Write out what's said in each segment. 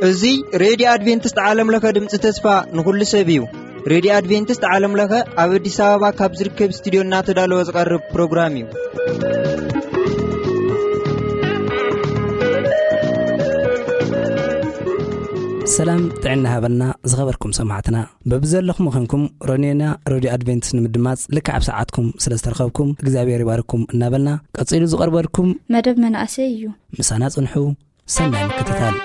እዚ ሬድዮ ኣድቬንቲስት ዓለም ለኸ ድምፂ ተስፋ ንኹሉ ሰብ እዩ። ሬድዮ ኣድቬንቲስት ዓለም ለኸ ኣብ ኣዲስ ኣበባ ካብ ዝርከብ ስቱዲዮ እናተዳለወ ዝቐርብ ፕሮግራም እዩ። ሰላም ጥዕና ሃበልና ዝኸበርኩም ሰማዕትና። በብዘለኹም ምዃንኩም ሮኔና ሬድዮ ኣድቬንቲስት ንምድማጽ ልክዕ ኣብ ሰዓትኩም ስለ ዝተረኸብኩም እግዚኣብሔር ይባርኩም እናበልና ቀጺሉ ዝቐርበልኩም መደብ መናእሰይ እዩ። ምሳና ጽንሑ። ሰናይ ምክትታል።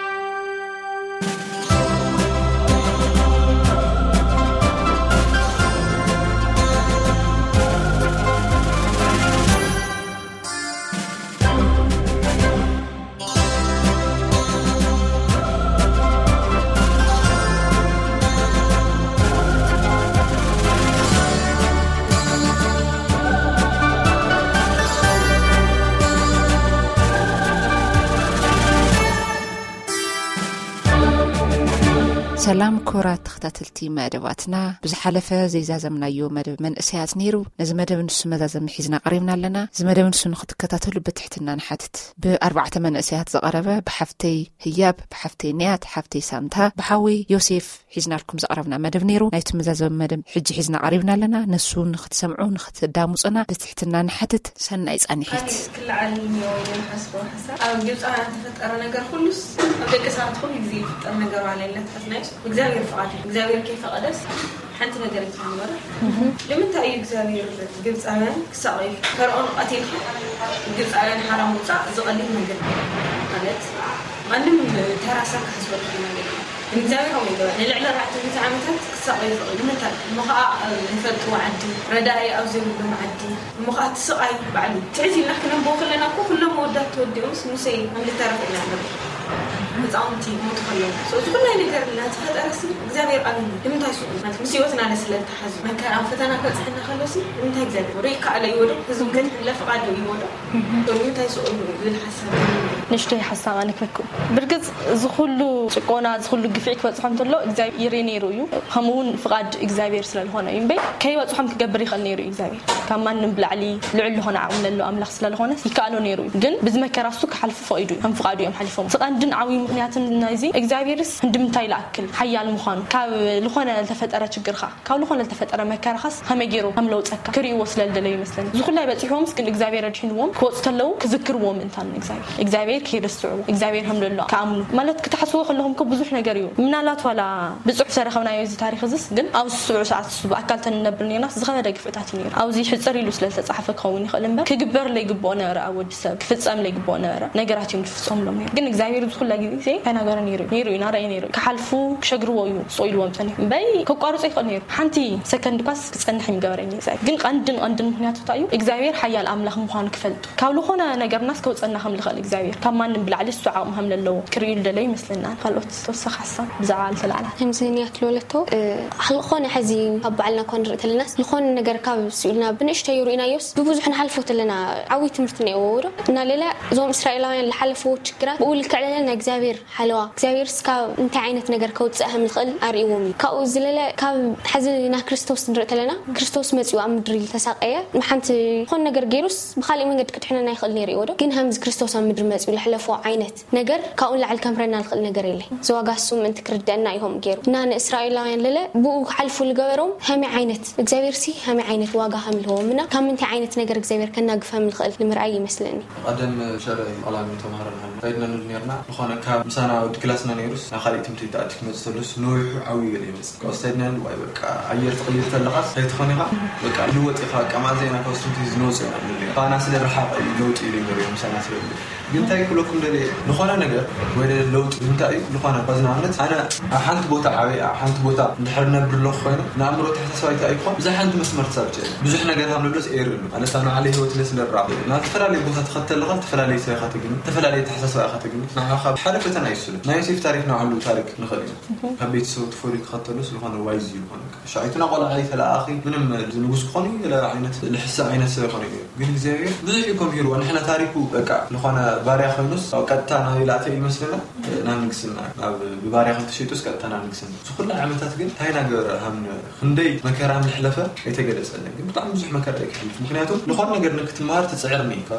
ሰላም ክቡራት ተኸታተልቲ መደባትና፣ ብዝሓለፈ ዘይዛዘምናዮ መደብ መንእሰያት ነይሩ። ነዚ መደብ ንሱ መዛዘሚ ሒዝና ቀሪብና ኣለና። እዚ መደብ ንሱ ንክትከታተሉ ብትሕትና ንሓትት። ብኣርባዕተ መንእሰያት ዝቐረበ፣ ብሓፍተይ ህያብ፣ ብሓፍተይ ንያት፣ ሓፍተይ ሳንታ፣ ብሓወይ ዮሴፍ ሒዝናልኩም ዘቕረብና መደብ ነይሩ። ናይቲ መዛዘሚ መደብ ሕጂ ሒዝና ቀሪብና ኣለና። ንሱ ንክትሰምዑ፣ ንክትዳምፁና ብትሕትና ንሓትት። ሰናይ ፃንሒት። ክልዓል እኒኦ ኢለ ዝሓስቦ ሓሳብ፣ ኣብ ግብፃውያን ተፈጠረ ነገር ኩሉስ፣ ኣብ ደቂ ሰባት ኩሉ ግዜ ይፍጠር ነገር ዋላ የለን። ተስናይስ እግዚኣብሔር ፍቓድ እዩ። እግዚኣብሔር ከይፈቐደስ ሓንቲ ነገር ኣይትኾን ነበረ። ንምንታይ እዩ እግዚኣብሔር ግብፃውያን ክሳቐዩ? ፈርዖን ቀቲልካ ግብፃውያን ሓራ ምውፃእ ዝቐሊል ነገር ማለት፣ ማንም ተራ ሰብ ክሓስበሉ ይኽእል ማለት እዩ። ንእግዚኣብሔር ከምኡ ይገበረ። ንልዕሊ ኣርባዕተ ሚእቲ ዓመታት ክሳቐዩ ፈቒዱ። ንምንታይ? እሞ ኸዓ ኣብ ዘይፈልጥዎ ዓዲ፣ ረዳኢ ኣብ ዘይብሎም ዓዲ፣ እሞ ኸዓ እቲ ስቓይ ባዕሉ። ትዕዝ ኢልና ክነንብቦ ከለና እኮ ኩሎም መወዳት ተወዲኦምስ ሙሴ ከም ዝተረፈ ኢና ንርኢ። ህፃውንቲ ይሞቱ ከለዉ። So፣ እዚ ኩላይ ነገር እናተፈጠረሲ እግዚኣብሔር ኣበይ እዩ? ንምንታይ ስቕ ኢሉ? ማለት ምስ ህይወትና ለ ስለ ዝተሓዙ። መከራ ፈተና ክበፅሐና ከሎሲ ንምንታይ እግዚኣብሔር ዶ ይከኣሎ ይዎ ዶ? ህዝቡ ከድሕን ለ ፍቓዱ ይዎ ዶ? So፣ ንምንታይ ስቕ ኢሉ ዝብል ሓሳብ እዩ። ንእሽተይ ሓሳብ ኣነ ክህበኩም። ብርግጽ እዚ ኩሉ ጭቆና፣ እዚ ኩሉ ግፍዒ ክበጽሖም እንተሎ እግዚኣብሔር ይርኢ ነይሩ እዩ። ከምኡ እውን ፍቓድ እግዚኣብሔር ስለ ዝኾነ እዩ እምበይ ከይበጽሖም ክገብር ይኽእል ነይሩ እዩ እግዚኣብሔር። ካብ ማንም ብላዕሊ ልዑል ዝኾነ ዓቕሚ ለሎ ኣምላኽ ስለ ዝኾነ ይከኣሎ ነይሩ እዩ። ግን ብዚ መከራ እሱ ክሓልፉ ፈቒዱ እዩ። ከም ፍቓዱ እዮም ሓሊፎም። እዚ ቀንድን ዓብዪ ምኽንያትን ናይዚ እግዚኣብሔርስ ክንዲ ምንታይ ይኣክል ሓያል ምዃኑ፣ ካብ ዝኾነ ዝተፈጠረ ችግርኻ፣ ካብ ዝኾነ ዝተፈጠረ መከራኻስ ከመይ ገይሩ ከም ለውፀካ ክርእይዎ ስለ ዝደለዩ ይመስለኒ። እዚ ኩላይ በፂሕዎምስ ግን እግዚኣብሔር ኣድሒንዎም ክወፁ ተለዉ ክዝክርዎ ምእንታን እግዚኣብሔር። እግዚኣብሔር ከይርስዕዎ፣ እግዚኣብሔር ከም ለሎ ክኣምኑ ማለት ክትሓስብዎ ከለኹም እኮ ብዙሕ ነገር እዩ። ምናልባት ዋላ ብፅሑፍ ተረኸብናዮ እዚ ታሪኽ እዝስ፣ ግን ኣብዚ ስዑ ሰዓት እሱ ብኣካል ተንነብር ነርናስ ዝኸበደ ግፍዕታት እዩ ነይሩ። ኣብዚ ሕፅር ኢሉ ስለ ዝተፃሓፈ ክኸውን ይኽእል እምበር ክግበር ለይግብኦ ነበረ። ኣብ ወዲ ሰብ ክፍጸም ለይግብኦ ነበረ ነገራት እዮም ዝፍጸምሎም ነይሩ። ግን እግዚኣብሔር እዚ ኩላ ግዜ እንታይ ናገረ ነይሩ እዩ? ነይሩ እዩ፣ ናረኣየ ነይሩ እዩ። ክሓልፉ ክሸግርዎ እዩ ስቕ ኢልዎም ጸኒሑ። እምበይ ከቋርጾ ይኽእል ነይሩ። ሓንቲ ሰከንድ ኳስ ክጸንሕ እዩ ምገበረ እግዚኣብሔር። ግን ቀንድን ቀንድን ምኽንያቱ እንታይ እዩ? እግዚኣብሔር ሓያል ኣምላኽ ምዃኑ ክፈልጡ። ካብ ዝኾነ ነገርናስ ከውጸና ከም ዝኽእል እግዚኣብሔር፣ ካብ ማንም ብላዕሊ እሱ ዓቕሚ ከም ዘለዎ ክርእዩ ዝደለዩ ይመስለና። ካልኦት ተወሳኺ ሓሳብ ብዛዕባ ዝተላዕላ? ከምዚ ንያት ለወለቶ፣ እ፣ ዝኾነ ሕዚ ካብ ባዕልና እኳ ንርኢ ተለናስ፣ ዝኾነ ነገር ካብ ስኢልና ብንእሽተዩ ርኢናዮስ፣ ብብዙሕ ንሓልፎ ተለና ዓብዪ ትምህርቲ እኒአዎ ዶ? እና ሌላ እዞም እስራኤላውያን ዝሓለፍዎ ችግራት ብኡ ልክዕ ለለ ናይ እግዚኣብሔር ሓለዋ፣ እግዚኣብሔር እስካብ እንታይ ዓይነት ነገር ከውፅእ ከም ዝኽእል ኣርእዎም እዩ። ካብኡ ዝለለ ካብ ሕዚ ናብ ክርስቶስ ንርኢ ተለና፣ ክርስቶስ መፂኡ ኣብ ምድሪ ዝተሳቀየ፣ ብሓንቲ ዝኾነ ነገር ገይሩስ ብኻሊእ መንገዲ ክድሕነና ይኽእል ነይሩ እዩ ዶ? ግን ከምዚ ክርስቶስ ኣብ ምድሪ መፂኡ ለሕለፎ ዓይነት ነገር ካብኡ ንላዕሊ ከምህረና ዝኽእል ነገር የለ። እዚ ዋጋ እሱ ምእንቲ ክርደአና ኢኹም ገይሩ። እና ንእስራኤላውያን ለለ ብኡ ክሓልፉ ዝገበሮም ከመይ ዓይነት እግዚኣብሔር ሲ ከመይ ዓይነት ዋጋ ከም ልህቦም እና ካብ ምንታይ ዓይነት ነገር እግዚኣብሔር ከናግፍ ከም ልኽእል ንምርኣይ ይመስለኒ። ቀደም ሸረ ቃላሚ ተምሃረን ሃሉ ከይድና ንብል ነርና። ዝኾነ ካብ ምሳና ወዲ ክላስና ነይሩስ ናብ ካልእ ትምህርቲ ተኣቲ ክመጽእ ተሉስ ነዊሑ ዓብዩ ገለ ይመጽእ። ካብ ስታይድና ንብል ዋይ በቃ ኣየር ትቕይር ተለኻስ ከይትኾን ኢኻ በቃ ልወጥ ኢኻ በቃ ማዘና ካብ ትምህርቲ ዝንወጽእ ኢና ንብል ነርና። ካና ስለ ርሓቕ እዩ ለውጥ ኢሉ ይገርዮ ምሳና ስለ ግን እንታይ ክብለኩም ደልየ፣ ዝኾነ ነገር ወይ ለውጢ እንታይ እዩ? ዝኾነ፣ በዚ ንኣብነት ኣነ ኣብ ሓንቲ ቦታ ዓበየ፣ ኣብ ሓንቲ ቦታ እንድሕር ነብር ኣለኹ ኮይነ፣ ንኣእምሮ ተሓሳስባይ እንታይ እዩ ክኾን? ብዛይ ሓንቲ መስመር ትሳብ ጨለ። ብዙሕ ነገር ሃብለሎስ ኤር ኣሎ። ማለት፣ ኣብ ንዓለ ህይወት ለስ ለራ። ናብ ዝተፈላለየ ቦታ ትኸተልኻ፣ ዝተፈላለየ ሰብ ኢኻ ተግኒ፣ ዝተፈላለየ ተሓሳስባ ኢኻ ተግኒ። ንዓኻ ሓደ ፈተና እዩ ስለ። ናይ ዮሴፍ ታሪክ ንባዕሉ ታሪክ ንኽእል እዩ። ካብ ቤተሰቡ ተፈልዩ ክኸተሉ ስለኾነ ዋይዝ እዩ ዝኾነ። ሻዒትና ቆልዓ እዩ ተለኣኺ፣ ምንም ንጉስ ክኾን እዩ፣ ገለ ዓይነት ልሕሰ ዓይነት ሰብ ይኾን እዩ። ግን እግዚኣብሔር ብዙሕ እዩ ከምህርዎ። ንሕና ታሪኩ በቃ ዝኾነ ባርያ ኮይኑስ ኣብ ቀጥታ ናብ ኢላተ ይመስለና ናብ ንግስና ናብ ብባርያ ከተሸይጡስ ቀጥታ ናብ ንግስና እዚ ኩሉ ዓመታት ግን እንታይ ናገበረ ሃም ክንደይ መከራ ምሕለፈ ኣይተገለጸለን። ግን ብጣዕሚ ብዙሕ መከራ እዩ ክሕልፍ። ምክንያቱ ዝኾነ ነገር ንክትመሃር ትጽዕር ኒ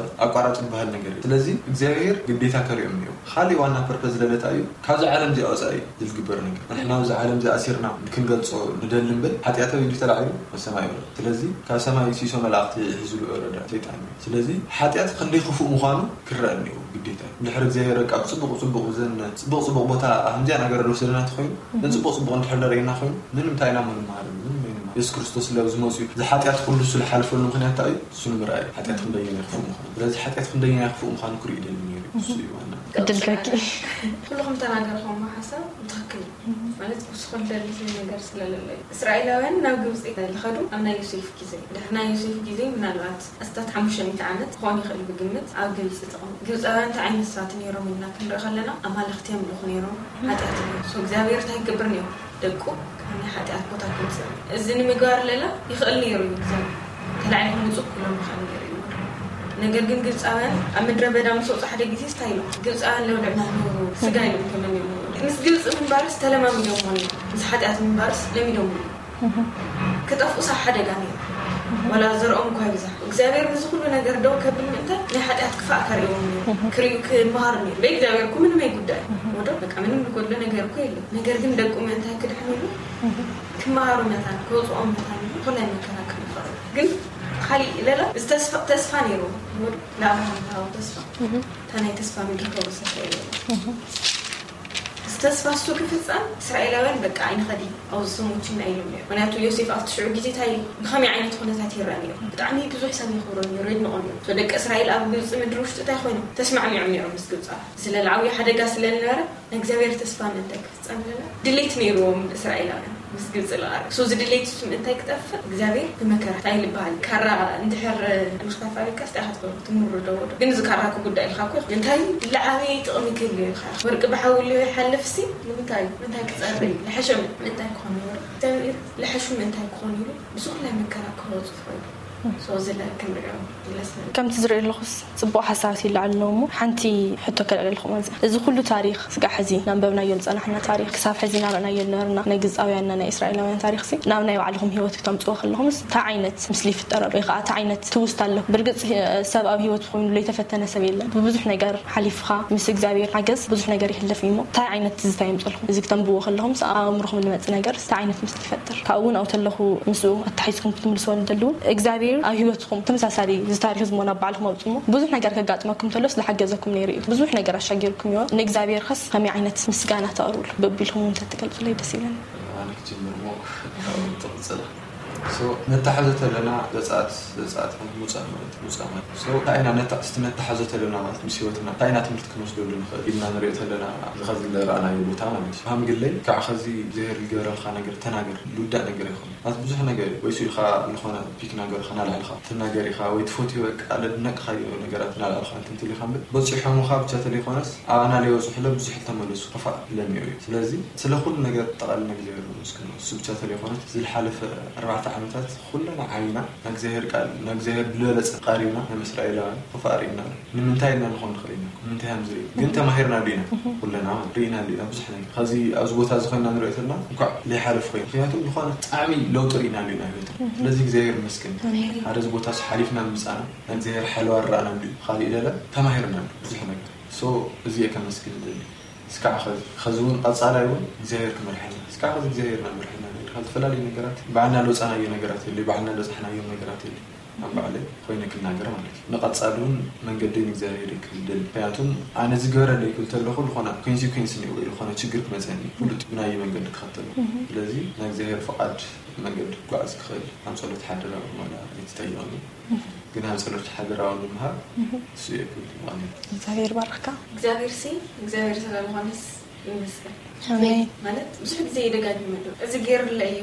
ኣቋራጭ ዝበሃል ነገር እዩ። ስለዚ እግዚኣብሔር ግዴታ ከሪኦም እዩ። ካሊእ ዋና ፐርፐዝ ለለታ እዩ ካብዚ ዓለም እዚኣ ወፃኢ ዝልግበር ነገር ንሕና ኣብዚ ዓለም እዚኣ ኣሲርና ክንገልጾ ንደሊ እምበር ሓጢኣታዊ ድዩ ተላዒሉ? መሰማይ ይወረድ። ስለዚ ካብ ሰማይ ሲሶ መላእክቲ ሒዝሉ ወረደ ሰይጣን እዩ። ስለዚ ሓጢኣት ክንደይ ክፉእ ምዃኑ ክረአ እኒኦ ግዴታ እዩ። እንድሕር እግዚኣብሔር ካብ ፅቡቅ ፅቡቅ ዘን ፅቡቅ ፅቡቅ ቦታ ከምዚኣ ነገር ዝወሰደና ተኮይኑ ነፅቡቅ ፅቡቅ እንድሕር ደርእየና ኮይኑ ምንም እንታይ ኢና ምንመሃር ምንም ኣይንመሃር። የሱስ ክርስቶስ ስለ ኣብዚ መፅኡ ዝሓጢኣት ኩሉ ዝሓልፈሉ ምክንያት እንታይ እዩ? እሱ ንምርኣይ ሓጢኣት ክንደየናይ ክፉእ ምዃኑ። ስለዚ ሓጢኣት ክንደየናይ ክፉእ ምዃኑ ክርኢ ይደሊ ነይሩ። እሱ እዩ ዋና። እድል ከኪ ኩልኹም ተናገርኩም ሓሳብ ብትክክል ማለት ክውስኮ ደሊ ነገር ስለለለዩ እስራኤላውያን ናብ ግብፂ ዝኸዱ ኣብ ናይ ዮሴፍ ግዜ ድሕሪ ናይ ዮሴፍ ግዜ ምናልባት ኣስታት ሓሙሽተ ሚእቲ ዓመት ክኾን ይኽእል ብግምት ኣብ ግብፂ ተቐሙ። ግብፃውያን እንታይ ዓይነት ሰባት ነይሮም ኢልና ክንርኢ ከለና ኣማልኽቲ የምልኹ ነይሮም። ሓጢኣት እዮም። So እግዚኣብሔር እንታይ ክገብር ነይሩ? ደቁ ካብ ናይ ሓጢኣት ቦታ ክውፅእ እዚ ንምግባር ለላ ይኽእል ነይሩ እዩ እግዚኣብሔር። ተላዒልኩም ውፁ ክብሎም ይኽእል ነይሩ እዩ። ነገር ግን ግብፃውያን ኣብ ምድረ በዳ ምስ ወፁ ሓደ ግዜ ስታይ ኢሎም ግብፃውያን ለውልዕና ነሩ ስጋ ኢሎም ከመን እዮም። ምስ ግብፂ ምንባርስ ተለማሚዶሞ እዮም። ምስ ሓጢኣት ምንባርስ ለሚዶሞ እዮም። ክጠፍኡስ ሓደጋ ነይሩ። ዋላ ዘርኦም እኳ ይብዛሕ እግዚኣብሔር ንዚ ኩሉ ነገር ደው ከብል ምእንታይ ናይ ሓጢኣት ክፋእ ከርእዎም ነይሩ። ክርእዩ ክመሃሩ ነይሩ። በይ እግዚኣብሔር እኮ ምንም ኣይጉዳይ ወዶ በቃ ምንም ዝጎድሎ ነገር እኮ የለን። ነገር ግን ደቁ ምእንታይ ክድሕኑ ኢሉ ክመሃሩ መታን ክወፅኦም መታን ኢሉ ኩላይ መከራ ክመኸሩ ግን ካሊእ ለላ እዚ ተስፋ ተስፋ ነይሩ። ወዶ ንኣብርሃም ዝሃቦ ተስፋ እታ ናይ ተስፋ ምድሪ ከውርሰካ ኢሉ። እዚ ተስፋ እሱ ክፍጸም እስራኤላውያን በቃ ኣይንኸዲ ኣብዚ ሰሞችና ኢሎም እዮም። ምክንያቱ ዮሴፍ ኣብቲ ሽዑ ግዜ እንታይ ብኸመይ ዓይነት ኩነታት ይረአ ነይሩ? ብጣዕሚ ብዙሕ ሰብ የኽብሮ ነይሩ፣ የድንቖ ነይሩ። So ደቂ እስራኤል ኣብ ግብፂ ምድሪ ውሽጢ እንታይ ኮይኖም ተስማዕሚዖም ነይሮም ምስ ግብፃ ስለልዓብዩ ሓደጋ ስለልነበረ ንእግዚኣብሔር ተስፋ ምእንታይ ክፍጸም ለና ድሌት ነይርዎም እስራኤላውያን ምስ ግብፂ ልቓር። So እዚ ድሌት እሱ ምእንታይ ክጠፍእ እግዚኣብሔር ብመከራ እንታይ ልበሃል ካራ እንድሕር ምኽታፍ ኣቢልካ ስታይ ኢኻ ትገብሮ ትምርዶ ወዶ ግን እዚ ካራ ክጉዳ ኢልካ እኮ እንታይ ልዓበየ ጥቕሚ ክህልዮ ኢልካ ወርቂ ብሓዊ ልዮ ይሓልፍ ሲ ንምንታይ ምንታይ ክፀሪ ልሐሸ ምእንታይ ክኾን ይወርቂ እግዚኣብሔር ልሐሹ ምእንታይ ክኾን ኢሉ ብዝኹላይ መከራ ክወፁ ፈይዱ። So እዚ ለ ክንሪኦ ይለስነ ከምቲ ዝርኢ ኣለኹስ ፅቡቅ ሓሳባት ይለዓል ኣለዎ እሞ ሓንቲ ሕቶ ከልዕለልኩም ኣዚኣ እዚ ኩሉ ታሪክ ስጋዕ ሕዚ ናንበብናዮ ዝፀናሕና ታሪክ ክሳብ ሕዚ ናርእናዮ ዝነበርና ናይ ግብፃውያንና ናይ እስራኤላውያን ታሪክ ሲ ናብ ናይ ባዕልኹም ህይወት ክተምፅዎ ከለኹምስ እንታይ ዓይነት ምስሊ ይፍጠረሉ ወይ ከዓ እንታይ ዓይነት ትውስታ ኣለኩም ብርግፅ ሰብ ኣብ ህይወት ኮይኑ ለይተፈተነ ሰብ የለን ብብዙሕ ነገር ሓሊፍካ ምስ እግዚኣብሔር ሓገዝ ብዙሕ ነገር ይሕለፍ እዩ እሞ እንታይ ዓይነት ትዝታ የምፅልኩም እዚ ክተንብዎ ከለኹምስ ኣብ ኣእምርኹም ዝመፅእ ነገር እንታይ ዓይነት ምስ ይፈጥር ካብኡ እውን ኣብኡ ተለኹ ምስኡ ኣተሓሒዝኩም ክትምልስዎ ንደሊ እውን እግዚኣብሔር ኣብ ህይወትኩም ተመሳሳሊ እዚ ታሪክ ዝሞ ናብ ባዕልኩም ኣውፅሞ ብዙሕ ነገር ከጋጥመኩም ተሎስ ዝሓገዘኩም ነይሩ እዩ ብዙሕ ነገር ኣሻጊርኩም ይሆን ንእግዚኣብሔር ከስ ከመይ ዓይነት ምስጋና ተቕርብሉ በቢልኩም እውን ተትገልፁለይ ደስ ይብለኒ ኣነ ክጅምር ሞ ትቕፅል መታሓዞ ተለና ዘፃት ዘፃት ሙፃ ማለት ሙፃ ማለት እንታይ ኢና ነታ እስቲ ነታሓዞ ተለና ማለት ምስ ህይወትና እንታይ ኢና ትምህርቲ ክንወስደሉ ንኽእል ኢልና ንሪኦ ተለና ዝኸዚ ዝረኣናዮ ቦታ ማለት እዩ ሃምግለይ ከዓ ኸዚ እግዚኣብሔር ዝገበረልካ ነገር ተናገር ልውዳእ ነገር ይኹን ማለት ብዙሕ ነገር እዩ ወይሱ ኢልካ ዝኾነ ፒክ ነገር ከናልዕልካ ትናገር ኢኻ ወይ ትፈትዮ በቃ ለድነቅኻዮ ነገራት ናልዕልካ እንትን ትልካ እምበር በፂሖምኻ ብቻ ተለይኮነስ ኣባና ለይበፅሑለ ብዙሕ ተመለሱ ክፋእ ለሚዑ እዩ ስለዚ ስለ ኩሉ ነገር ጠቓልና እግዚኣብሔር ንመስግኖ እሱ ብቻ ተለይኮነስ ዝልሓለፈ ኣርባዕተ ዓመታት ኩለና ዓይና ናእግዚኣብሔር ቃል ናእግዚኣብሔር ብልበለፀ ቃሪብና ናይ እስራኤላውያን ክፋእ ርኢና ኣሎ ንምንታይ ኢልና ንኾን ንኽእል ኢና ንምንታይ ሃም ዝርኢ ግን ተማሂርና ሉ ኢና ኩለና ማለት ርኢና ሉ ኢና ብዙሕ ነገር ከዚ ኣብዚ ቦታ እዚ ኮይና ንሪኦ ዘለና እንኳዕ ዘይሓለፍ ኮይኑ ምክንያቱ ዝኾነ ብጣዕሚ ለውጢ ርኢና ሉ ኢና ህይወትና ስለዚ እግዚኣብሔር ይመስገን ሓደ እዚ ቦታ ሓሊፍና ምምፃና ናእግዚኣብሔር ሓለዋ ርኣና ሉ ካሊእ ለለ ተማሂርና ሉ ብዙሕ ነገር so እዚ እየ ከመስግን ደሊ እስካዕ ኸዚ ኸዚ እውን ቐፃላይ እውን እግዚኣብሔር ክመርሐና እስካዕ ኸዚ እግዚኣብሔር ና መርሐና ኢልካ ዝተፈላለዩ ነገራት ባዕልና ለውፃናዮ ነገራት የለ ባዕልና ለፃሕናዮም ነገራት የለ ኣብ ባዕለ ኮይነ ክናገር ማለት እዩ ንቐፃሊ እውን መንገደይ ንእግዚኣብሔር ክህልደል ምክንያቱም ኣነ ዝገበረለይ ክብል ተለኹ ዝኾነ ኮንሲኩንስ እኒኦ ወይ ዝኾነ ችግር ክመፀኒ ፍሉጥ ብናይ መንገዲ ክኸተሉ ስለዚ ናይ እግዚኣብሔር ፍቓድ መንገዲ ክጓዓዝ ክኽእል ኣብ ጸሎት ሓደራ ማላ ኣይትጠይቐኒ ግን ኣብ ጸሎት ሓደራ ንምሃብ እሱ እየ ክብል ማለት እግዚኣብሔር ባርክካ እግዚኣብሔር ሲ እግዚኣብሔር ስለ ዝኾነስ ይመስገን። ኣሜን። ማለት ብዙሕ ግዜ ይደጋግመሉ፣ እዚ ገይርለ እዩ፣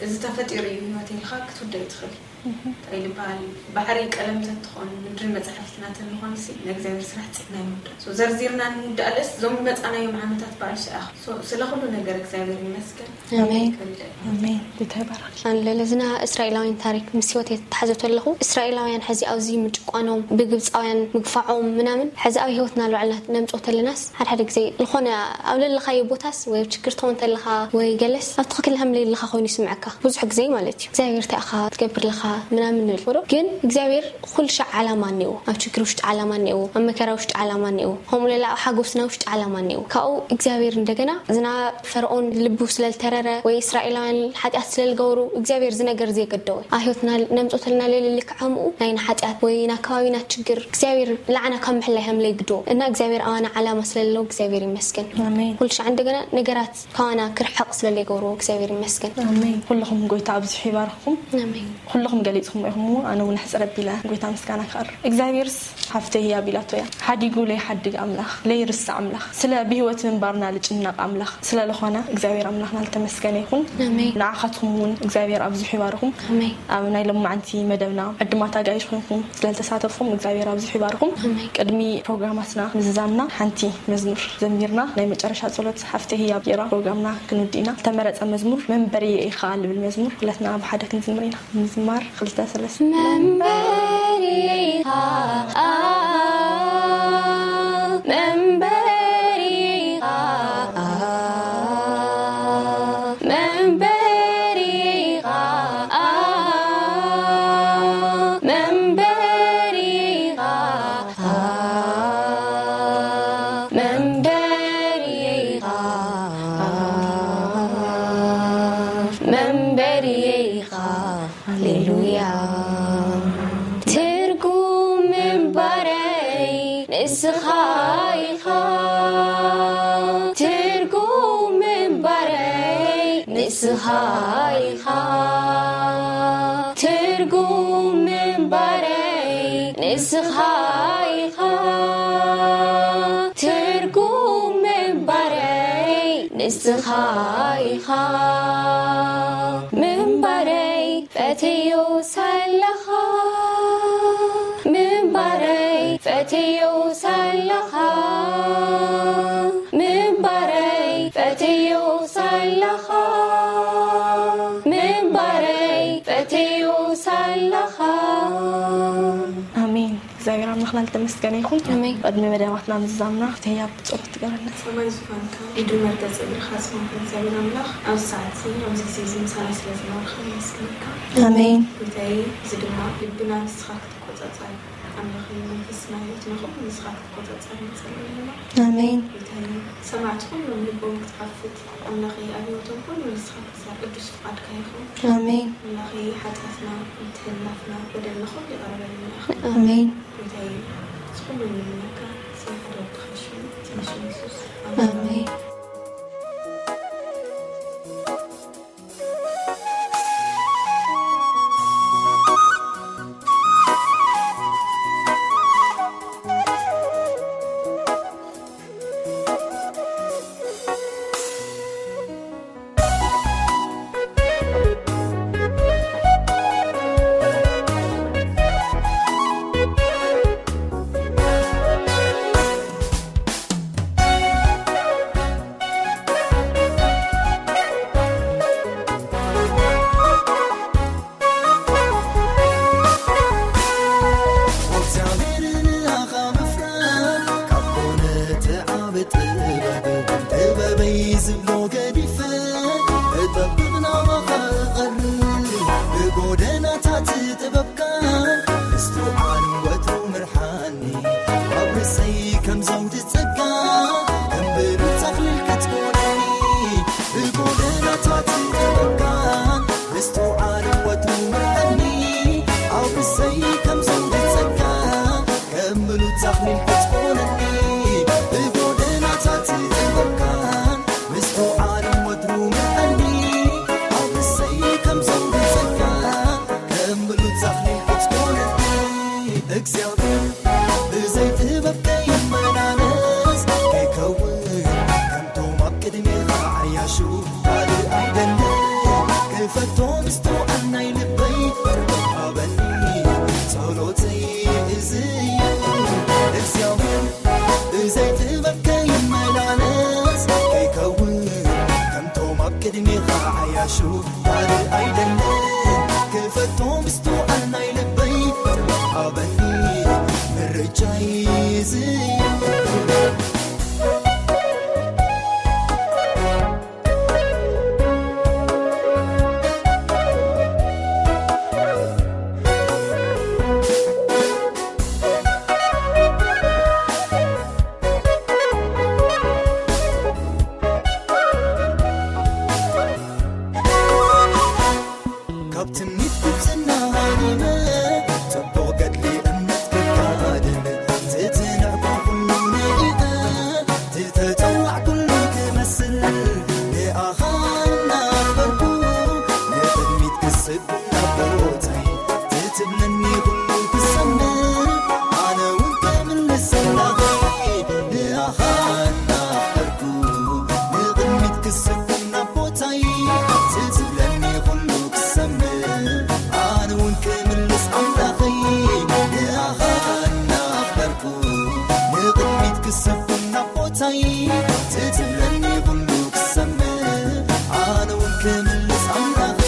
እዚ ተፈጢሩ እዩ ህይወት ኢልካ ክትውደ ይትኽእል። እንታይ ዝበሃል፣ ባሕሪ ቀለም ተትኾን ምድርን መጻሕፍትና ተንኾንሲ፣ ንእግዚኣብሔር ስራሕ ጽሕና ይምዳ። So፣ ዘርዚርና ንምውዳእ ለስ፣ እዞም መጻናዮም ዓመታት በዓል ሽኣኽ። So፣ ስለ ኩሉ ነገር እግዚኣብሔር ይመስገን። ኣሜን። ከልደ ኣሜን። ጌታ ይባርክ። ኣን ለለዝና እስራኤላውያን ታሪክ ምስ ህይወት የተተሓዘ ተለኹ፣ እስራኤላውያን ሕዚ ኣብዚ ምጭቋኖም፣ ብግብፃውያን ምግፋዖም ምናምን፣ ሕዚ ኣብ ህይወትና ልባዕልና ነምፅኦ ተለናስ፣ ሓደ ሓደ ግዜ ዝኾነ ኣብ ለለኻዮ ቦታስ ወይ ኣብ ችግር ትኾን ተለኻ ወይ ገለስ ኣብ ትኽክል ከም ለለኻ ኮይኑ ይስምዐካ ብዙሕ ግዜ ማለት እዩ። እግዚኣብሔር እንታይ ኢኻ ትገብር ለኻ ምናምን ንብል ዶ? ግን እግዚኣብሔር ኩሉ ሻዕ ዓላማ እኒኦ፣ ኣብ ችግር ውሽጢ ዓላማ እኒኦ፣ ኣብ መከራ ውሽጢ ዓላማ እኒኦ፣ ከምኡ ሌላ ኣብ ሓጎስና ውሽጢ ዓላማ እኒኦ። ካብኡ እግዚኣብሔር እንደገና ዝና ፈርዖን ልቡ ስለልተረረ ወይ እስራኤላውያን ሓጢኣት ስለልገበሩ እግዚኣብሔር ዝነገር ዘይገደወ ኣብ ህይወትና ነምፆተልና ሌለ ልክዓምኡ ናይና ሓጢኣት ወይ ና ከባቢና ችግር እግዚኣብሔር ላዕና ካብ ምሕላይ ሃምለይ ግዶ እና እግዚኣብሔር ኣዋና ዓላማ ስለለው እግዚኣብሔር ይመስገን። ኣሜን። ኩሉ ሻዕ እንደገና ነገራት ካባና ክርሕቕ ስለለይገብርዎ እግዚኣብሔር ይመስገን። ኣሜን። ኩልኹም ጎይታ ኣብዚሑ ይባርኽኩም። ኣሜን። ኩልኹም ገሊጽኹም ኢኹም እሞ ኣነ እውን ሕፅር ኣቢለ ጎይታ ምስጋና ክቐርብ። እግዚኣብሔርስ ሓፍተይ ህያብ ኢላቶ እያ። ሓዲጉ ለይሓድግ ኣምላኽ፣ ለይርስዕ ኣምላኽ፣ ስለ ብህይወት ምንባርና ልጭነቕ ኣምላኽ ስለ ዝኾነ እግዚኣብሔር ኣምላኽና ልተመስገነ ይኹን። ኣሜን። ንዓኻትኩም እውን እግዚኣብሔር ኣብዚሑ ይባርኹም። ኣሜን። ኣብ ናይ ሎማዓንቲ መደብና ዕድማት ኣጋይሽ ኮይንኩም ስለልተሳተፍኩም እግዚኣብሔር ኣብዚሑ ይባርኹም። ኣሜን። ቅድሚ ፕሮግራማትና ምዝዛምና ሓንቲ መዝሙር ዘሚርና ናይ መጨረሻ ጸሎት ሓፍተ ህያብ ጌራ ፕሮግራምና ክንውድእ ኢና። ዝተመረጸ መዝሙር መንበሪ ኢኻ ልብል መዝሙር ኩለትና ብሓደ ክንዝምር ኢና። ምዝማር ክልተ ሰለስተ። መንበሪ ኢኻ፣ መንበሪ ኢኻ፣ መንበሪ ኢኻ፣ መንበሪ ኢኻ፣ መንበሪ ኢኻ፣ መንበሪ ኢኻ። ሃሌሉያ። ትርጉም ምንባረይ ንስኻ ኢኻ። ትርጉም ምንባረይ ንስኻ ኢኻ። ትርጉም ምንባረይ ንስኻ ኢኻ። ትርጉም ምንባረይ ንስኻ ኢኻ። ምንባረይ ፈትዮ ሳለኻ፣ ምንባረይ ፈትዮ ሳለኻ፣ ምንባረይ ፈትዮ ሳለኻ፣ ምንባረይ ፈትዮ ሳለኻ። ኣሜን። እግዚኣብሔር ኣምላኽና ልተመስገነ ይኹን። ኣሜን። ቅድሚ መደባትና ምዝዛምና ክተያ ብጸሎት ትገበረና። ሰማይ ዙፋንካ፣ ምድሪ መርገጽ እግርኻ ዝኾንካ እግዚኣብሔር ኣምላኽ፣ ኣብዚ ሰዓት እዚ፣ ኣብዚ ግዜ እዚ ምሳና ስለ ዝነበርካ የመስግነካ። ኣሜን። ጎይታዬ፣ እዚ ድማ ልብና ንስኻ ክትቆጻጸር፣ ኣምላኸይ፣ መንፈስና፣ ህይወትና ኩሉ ንስኻ ክትቆጻጸር ንጸልእ ኣለና። ኣሜን። ጎይታዬ፣ ሰማዕቲ ኩሎም ልቦም ክትኸፍት፣ ኣምላኸይ፣ ኣብ ህይወቶም ኩሉ ንስኻ ክትሰርሕ ቅዱስ ፍቓድካ ይኹን። ኣሜን። ኣምላኸይ፣ ሓጢኣትና፣ ምትሕልላፍና፣ በደልና ኩሉ ይቕረ በለና ኢኻ። ኣሜን። ጎይታዬ፣ እዚ ኩሉ ንምነካ፣ ስለ ሓደ ወድኻ ሽም፣ ስለ ሽም የሱስ። ኣሜን። ኣሜን። እግዚኣብሔር ንኣኻ ምፍራድ ካብ ኮነ እቲ ዓቢ ጥበብ፣ ጥበበይ ዝብሎ ገዲፈ እጠብቕ ናባኻ እቐርብ። ብጎደናታት ጥበብካ ምስትውዓል ወትሩ ምርሓኒ፣ ኣብ ርእሰይ ከም ዘውዲ ጸጋ ከም ብሩር ተኽሊል ክትኮነኒ። ብጎደናታት ጥበብካ ምስትውዓል ወትሩ ምርሓኒ፣ ኣብ ርእሰይ ከም ዘውዲ ጸጋ ከም ብሩር ተኽሊል ክትኮነኒ። ብጎደናታት ጥበብካ ምስትውዓል ወትሩ ምርሓኒ፣ ኣብ ርእሰይ ከም ዘውዲ ጸጋ ከም ብሉጽ ዛፍ ክትኮነኒ። እግዚኣብሔር ብዘይ ጥበብ ከይኒ ጸሎተይ እዚ እዩ። እግዚኣብሔር ብዘይ ጥበብ ከይመላለስ፣ ከይከውን ከምቶም ኣብ ቅድሜኻ ዓያሹ ካልእ ኣይደልን። ክፈቶ ምስትውዓል ናይ ልበይ፣ ጥበብ ሃበኒ ምርጫይ እዚ እዩ። ካብ ትምኒት ጉብዝና ሃሪመ፣ ጽቡቕ ገድሊ እምነት ክጋደል፣ ትጽንዕ ኩሉ ነዲቐ፣ ትተጸዋዕ ኩሉ ክመስል፣ ንኣኻ እናኽበርኩ፣ ንቕድሚት ክስብ ናቦተይ፣ ትትብለኒ ኩሉ ክሰምዕ፣ ኣነ እውን ክምልስ ኣምላኸይ፣ ንኣኻ እናኽበርኩ፣ ንቕድሚት ክስብ ናቦታይ፣ ትትብለኒ ኩሉ ክሰምዕ፣ ኣነ እውን ክምልስ ኣምላኸይ፣ ንኣኻ እናኽበርኩ፣ ንቕድሚት ክስብ ናቦታይ፣ ትትብለኒ ኩሉ ክሰምዕ፣ ኣነ እውን ክምልስ ኣምላኸይ።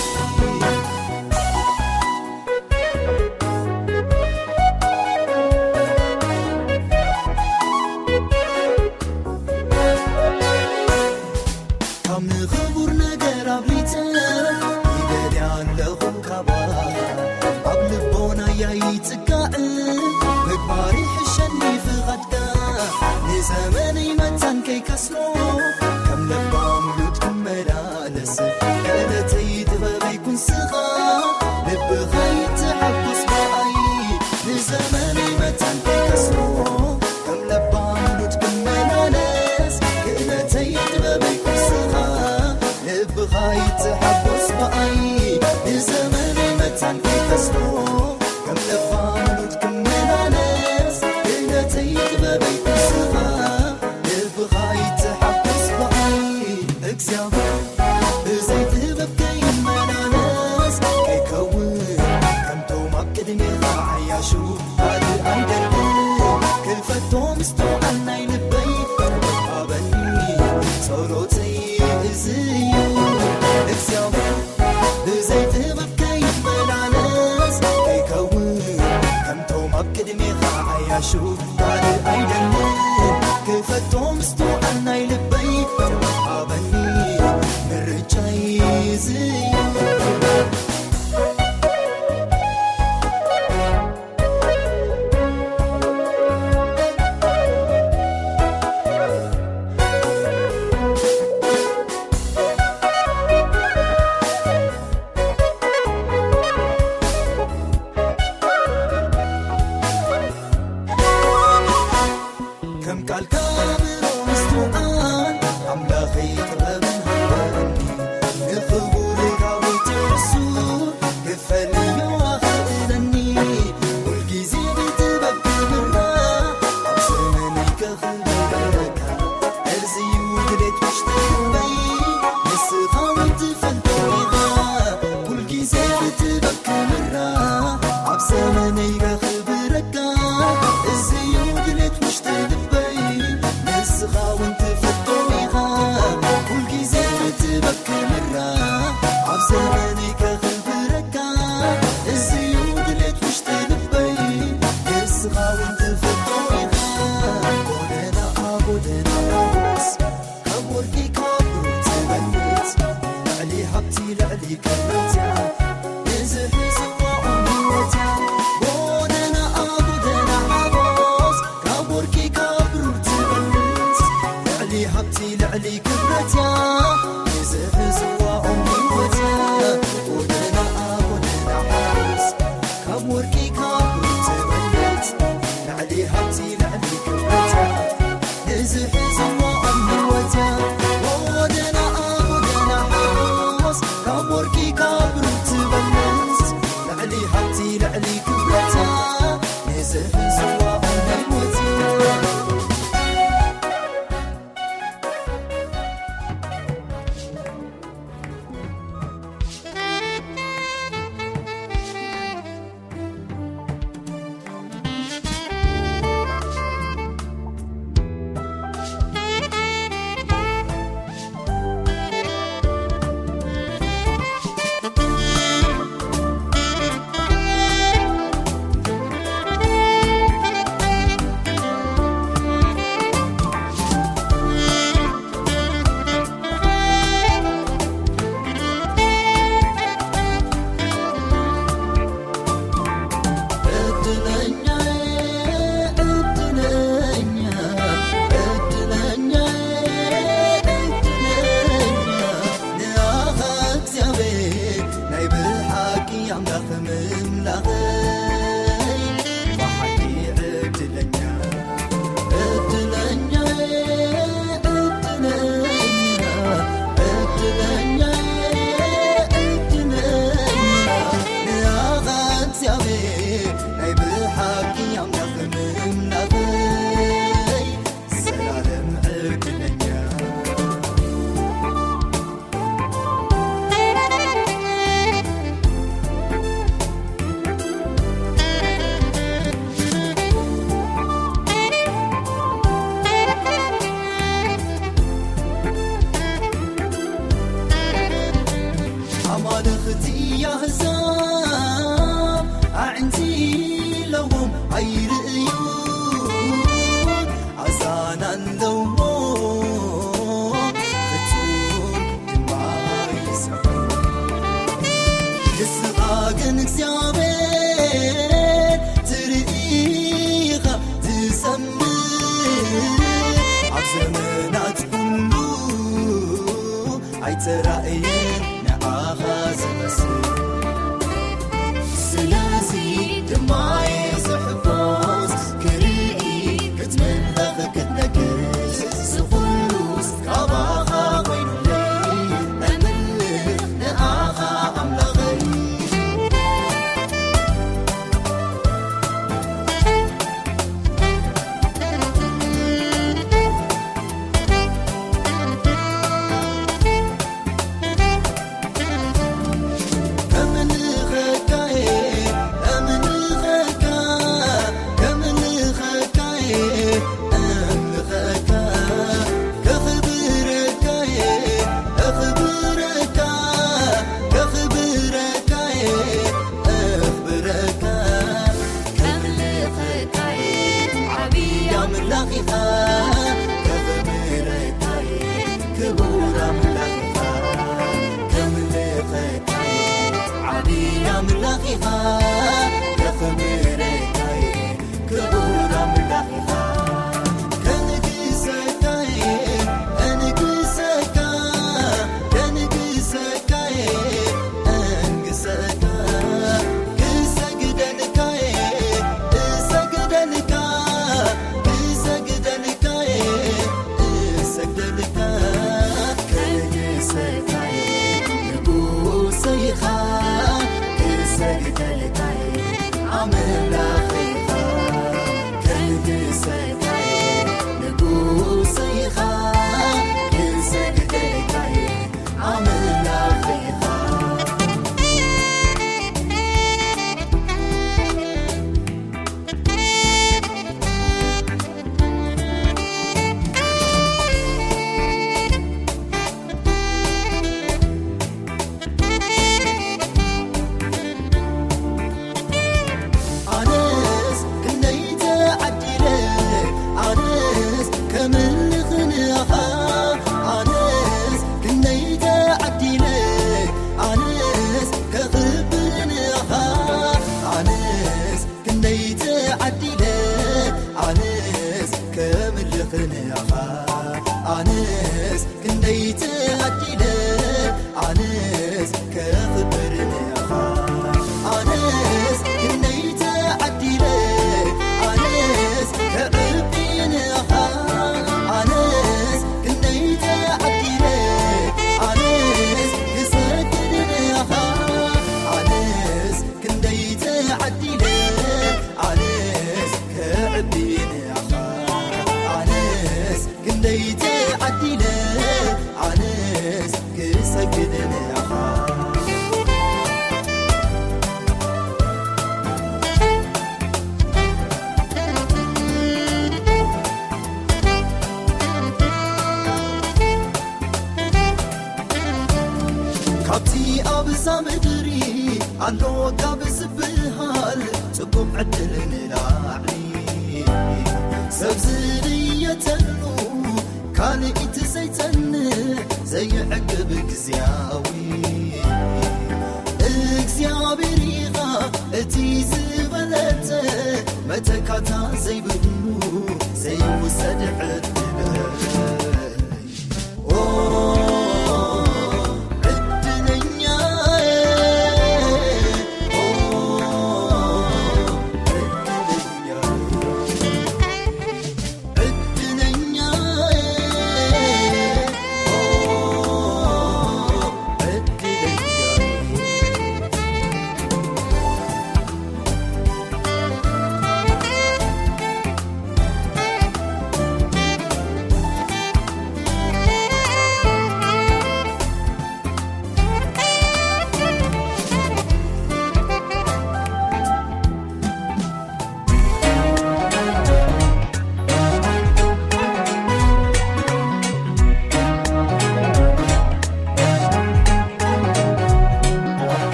ካብ ንኽቡር ነገር ኣብሊጸ ይደልያ ኣለኹ ካባኻ። ኣብ ልቦናያ ይጽጋዕ ምግባር ይሕሸኒ ፍቓድካ። ንዘመነይ መታን ከይከስሮ ከም ለባም ሉጥ ክመላለስ። ክእለተይ ጥበበይ ኩንስኻ ልብኻ ይተሓጎስ ብኣይ። ንዘመነይ መታን ከይከስሮ ከም ለባም ሉጥ ክመላለስ። ክእለተይ ጥበበይ ኩንስኻ ልብኻ ይተሓጎስ ብኣይ። ንዘመነይ መታን ከይከስሮ ከም ለባም ሉጥ ክመላለስ። ክእለተይ ጥበበይ ኩንስኻ ልብኻ ይተሓጎስ ብኣይ። እግዚኣብሔር ብዘይ ጥበብ ከይመላለስ፣ ከይከውን ከምቶም ኣብ ቅድሜኻ ዓያሹ ካልእ ኣይደልን። ክፈቶ ምስትውዓል ናይ ልበይ ሃበኒ፣ ጸሎተይ እዚ እዩ። እግዚኣብሔር ብዘይ ጥበብ ከይመላለስ፣ ከይከውን ከምቶም ኣብ ቅድሜኻ ዓያሹ ካልእ ኣይደልን። ክፈቶ ምስትውዓል ናይ ልበይ ሃበኒ፣ ምርጫይ እዚ እዩ። ከም ቃልካ ኣእምሮ ምስትውዓል ኣምላኸይ ጥበብን ሃበኒ። ንኽቡር ዳዊት እሱ ክፈልዮ ኣኽእለኒ። ኩልጊዜ ብጥበብ ክምራ ኣብ ዘመነይ ከኽብረካ። እዚ እዩ ድሌት ውሽጢ ልበይ፣ ንስኻ እውን ትፈልጦ ኢኻ። ኩልጊዜ ብጥበብ ክምራ ኣብ ዘመነይ ከኽብረካ። እዚ እዩ ድሌት ውሽጢ ልበይ፣ ንስኻ እውን ትፈልጦ ኢኻ። ኩልጊዜ ብጥበብ ክምራ ኣብ ዘመነይ ከኽብረካ። እዚ እዩ ድሌት ውሽጢ ልበይ፣ ንስኻ እውን ትፈልጦ ኢኻ። ጎደና ጎደና ሞስ ካብ ወርቂ ካብ ብሩር ትበልጽ፣ ልዕሊ ሃብቲ ልዕሊ ክብረት እያ፣ ንዝሕዝዋ ቁም ህይወት እያ። ኣንቲ ኣለዎም ኣይርእዩ ኣዛና ኣለዎ ፍጹም ድማ ይሰምዑ። ንስኻ ግን እግዚኣብሔር ትርኢ ኢኻ ትሰምዕ። ኣብ ዘመናት ኩሉ ኣይተራእየን ንኣኻ ዝመስል። ስለዚ ድማ እየ ዝሕጎስ ክርኢ ክትምለኽ ክትነግስ ዝኹሉስ ካባኻ ኮይኑለይ እምልኽ ንኣኻ ኣምላኸይ።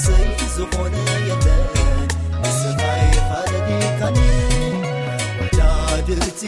ሰይ ዝኾነ የለን ንስኻ ኢኻ ረዲእካኒ ወዳድርቲ